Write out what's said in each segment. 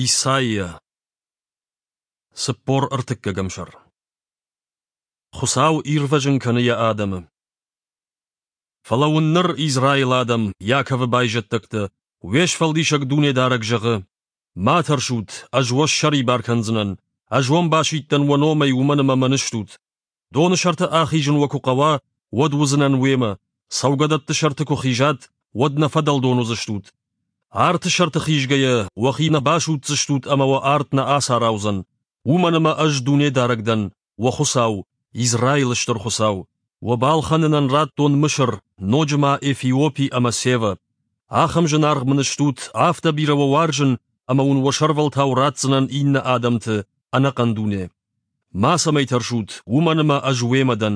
Исайя 43 сӕр Хуыцау ирвӕзын кӕны йӕ адӕмы. Фӕлӕ уын ныр, Израилы адӕм, Иаковы байзӕддӕгтӕ, уе сфӕлдисӕг Дунедарӕг зӕгъы: Ма тӕрсут, ӕз уӕ ссӕрибар кӕндзынӕн, ӕз уӕм басидтӕн уӕ номӕй, уымӕн ӕмӕ мӕн стут. Доны сӕрты ахизын уӕ куы хъӕуа, уӕд уыдзынӕн уемӕ, цӕугӕдӕтты сӕрты куы хизат, уӕд нӕ фӕдӕлдон уыдзыстут. Арты сӕрты хизгӕйӕ, уӕхи нӕ басудздзыстут ӕмӕ уӕ арт нӕ ацараудзӕн, уымӕн ӕмӕ ӕз Дунедарӕг дӕн, уӕ Хуыцау, Израилы Стыр Хуыцау. Уӕ балхӕнынӕн радтон Мысыр, ноджы ма Эфиопи ӕмӕ Севӕ. Ахӕм зынаргъ мын стут, афтӕ бирӕ уӕ уарзын, ӕмӕ уын уӕ сӕрвӕлтау ратдзынӕн иннӕ адӕмты, ӕнӕхъӕн дуне. Мацӕмӕй тӕрсут, уымӕн ӕмӕ ӕз уемӕ дӕн,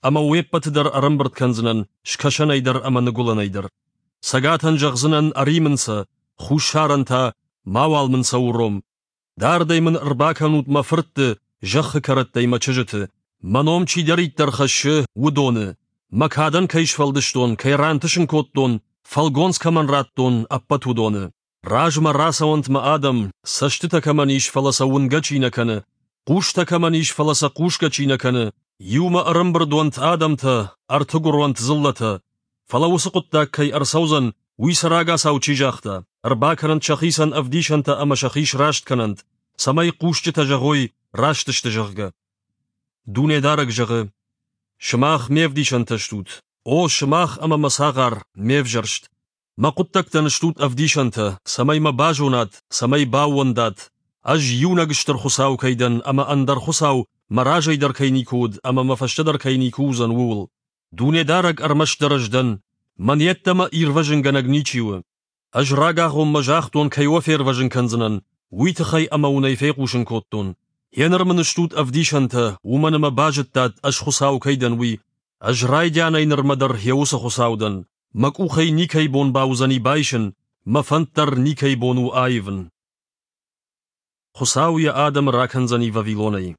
ӕмӕ уе ппӕты дӕр ӕрӕмбырд кӕндзынӕн скӕсӕнӕй дӕр ӕмӕ ныгуылӕнӕй дӕр. Цӕгатӕн зӕгъдзынӕн ӕри мын сӕ, хуссарӕн та мауал мын сӕ уром. Дардӕй мын ӕрбакӕнут мӕ фыртты, зӕххы кӕрӕттӕй мӕ чызджыты. Мӕ ном чидӕриддӕр хӕссы, уыдоны. Мӕ кадӕн кӕй сфӕлдыстон, кӕй рантысын кодтон, фӕлгонц кӕмӕн радтон, ӕппӕт уыдоны. Размӕ рацӕуӕнт мӕ адӕм, цӕстытӕ кӕмӕн ис, фӕлӕ сӕ уынгӕ чи нӕ кӕны, хъустӕ кӕмӕн ис, фӕлӕ сӕ хъусгӕ чи нӕ кӕны, иумӕ ӕрӕмбырд уӕнт адӕмтӕ, ӕртыгуыр уӕнт дзыллӕтӕ. Фӕлӕ уыцы хъуыддаг кӕй ӕрцӕудзӕн, уый сӕ рагацау чи загъта, ӕрбакӕнӕнт сӕхицӕн ӕвдисӕнтӕ ӕмӕ сӕхи сраст кӕнӕнт, цӕмӕй хъусджытӕ зӕгъой, раст сты, зӕгъгӕ. Дунедарӕг зӕгъы: Сымах ме вдисӕнтӕ стут, о, сымах ӕмӕ мӕ цагъар, ме взӕрст. Мӕ хъуыддӕгтӕн стут ӕвдисӕнтӕ, цӕмӕй мӕ базонат, цӕмӕй баууӕндат, ӕз иунӕг стыр Хуыцау кӕй дӕн ӕмӕ ӕндӕр Хуыцау мӕ разӕй дӕр кӕй никуы уыд ӕмӕ мӕ фӕстӕ дӕр кӕй никуы уыдзӕн, ууыл. Дунедарӕг ӕрмӕстдӕр ӕз дӕн, мӕн йеддӕмӕ ирвӕзынгӕнӕг ничи у. Ӕз рагагъоммӕ загътон, кӕй уӕ фервӕзын кӕндзынӕн, уый тыххӕй ӕмӕ уын ӕй фехъусын кодтон. Гъеныр мын стут ӕвдисӕнтӕ, уымӕн ӕмӕ базыдтат, ӕз Хуыцау кӕй дӕн, уый. Ӕз райдианӕй нырмӕ дӕр йӕ уыцы Хуыцау дӕн. Мӕ къухӕй никӕй бон бауыдзӕни байсын, мӕ фӕнд дӕр никӕй бон у аивын. Хуыцау йӕ адӕмы ракӕндзӕни Вавилонӕй.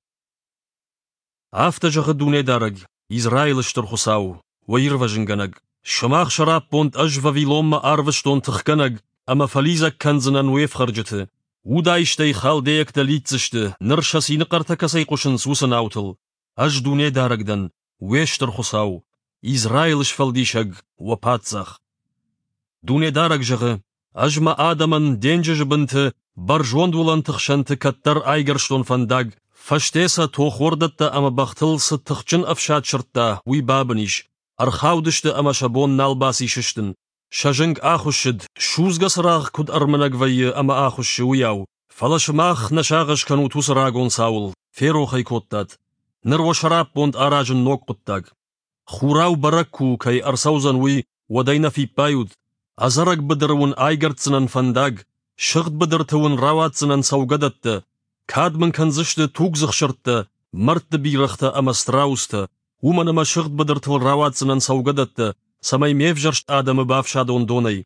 Афтӕ зӕгъы Дунедарӕг, Израилы Стыр Хуыцау, уӕ Ирвӕзынгӕнӕг: Сымах сӕраппонд ӕз Вавилонмӕ арвыстон тыхгӕнӕг ӕмӕ фӕлидзӕг кӕндзынӕн уе фхӕрджыты. Удаистӕй халдейӕгтӕ лидздзысты, ныр сӕ цины хъӕртӕ кӕцӕй хъуысынц, уыцы наутыл. Ӕз Дунедарӕг дӕн, уе Стыр Хуыцау, Израилы Сфӕлдисӕг, уӕ Паддзах. Дунедарӕг зӕгъы: Ӕз мӕ адӕмӕн денджызы бынты, бӕрзонд уылӕнты хсӕнты кӕддӕр айгӕрстон фӕндаг, фӕсте сӕ тохуӕрдӕттӕ ӕмӕ бӕхтыл цы тыхджын ӕфсад сырдта, уый бабын ис, ӕрхаудысты ӕмӕ сӕ бон нал баци сыстын. Сӕ зынг ахуыссыд, судзгӕ цырагъ куыд ӕрмынӕг вӕййы ӕмӕ ахуыссы, уыйау. Фӕлӕ сымах нӕ сагъӕс кӕнут уыцы рагон цауыл, ферох ӕй кодтат. Ныр уӕ сӕраппонд аразын ног хъуыддаг. Хурау бӕрӕг куы у, кӕй ӕрцӕудзӕн уый, уӕд ӕй нӕ фиппайут. Ӕдзӕрӕг быдыры уын айгӕрддзынӕн фӕндаг, сыгъд быдырты уын рауадздзынӕн цӕугӕдӕттӕ. Кад мын кӕндзысты тугдзых сырдтӕ, мӕрдты бирӕгътӕ ӕмӕ страустӕ, уымӕн ӕмӕ сыгъд быдыртыл рауадздзынӕн цӕугӕдӕттӕ, цӕмӕй ме взӕрст адӕмы бафсадон донӕй.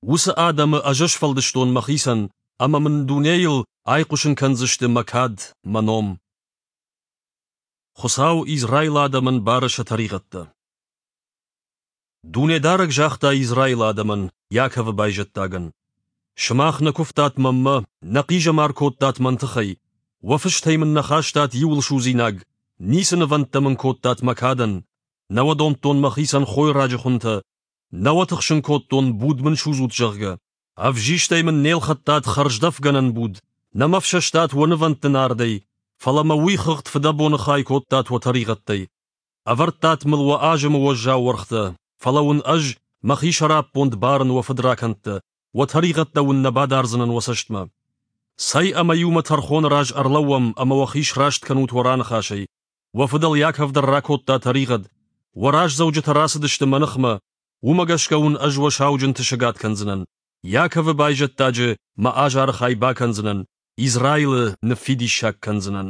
Уыцы адӕмы ӕз сфӕлдыстон мӕхицӕн, ӕмӕ мын дунейыл айхъуысын кӕндзысты мӕ кад, мӕ ном. Хуыцау Израилы адӕмӕн бары сӕ тӕригъӕдтӕ. Дунедарӕг загъта Израилы адӕмӕн, Иаковы байзӕддагӕн: «Сымах нӕ куывтат мӕнмӕ, нӕ хъизӕмар кодтат мӕн тыххӕй, уӕ фыстӕй мын нӕ хастат иуылсудзинаг, ницы нывӕндтӕ мын кодтат мӕ кадӕн. Нӕ уӕ домдтон мӕхицӕн хойраджы хуынтӕ, нӕ уӕ тыхсын кодтон, буд мын судзут, зӕгъгӕ. Ӕвзистӕй мын не лхӕдтат хӕрздӕфгӕнӕн буд, нӕ мӕ фсӕстат уӕ нывӕндты нардӕй, фӕлӕ мӕ уый хыгъд фыдӕбоны хай кодтат уӕ тӕригъӕдтӕй. Ӕвӕрдтат мыл уӕ азымы уӕззау уӕргътӕ, фӕлӕ уын ӕз мӕхи сӕраппонд барын уӕ фыдракӕндтӕ, уӕ тӕригъӕдтӕ уын нӕ бадардзынӕн уӕ цӕстмӕ. Цӕй ӕмӕ иумӕ тӕрхоны раз ӕрлӕууӕм ӕмӕ уӕхи сраст кӕнут уӕ раныхасӕй. Уӕ фыдӕл Яков дӕр ракодта тӕригъӕд, уӕ раздзӕуджытӕ рацыдысты мӕ ныхмӕ, уымӕ гӕсгӕ уын ӕз уӕ сауджынты сыгад кӕндзынӕн. Яковы байзӕддаджы мӕ азары хай бакӕндзынӕн, Израилы ныффидиссаг кӕндзынӕн.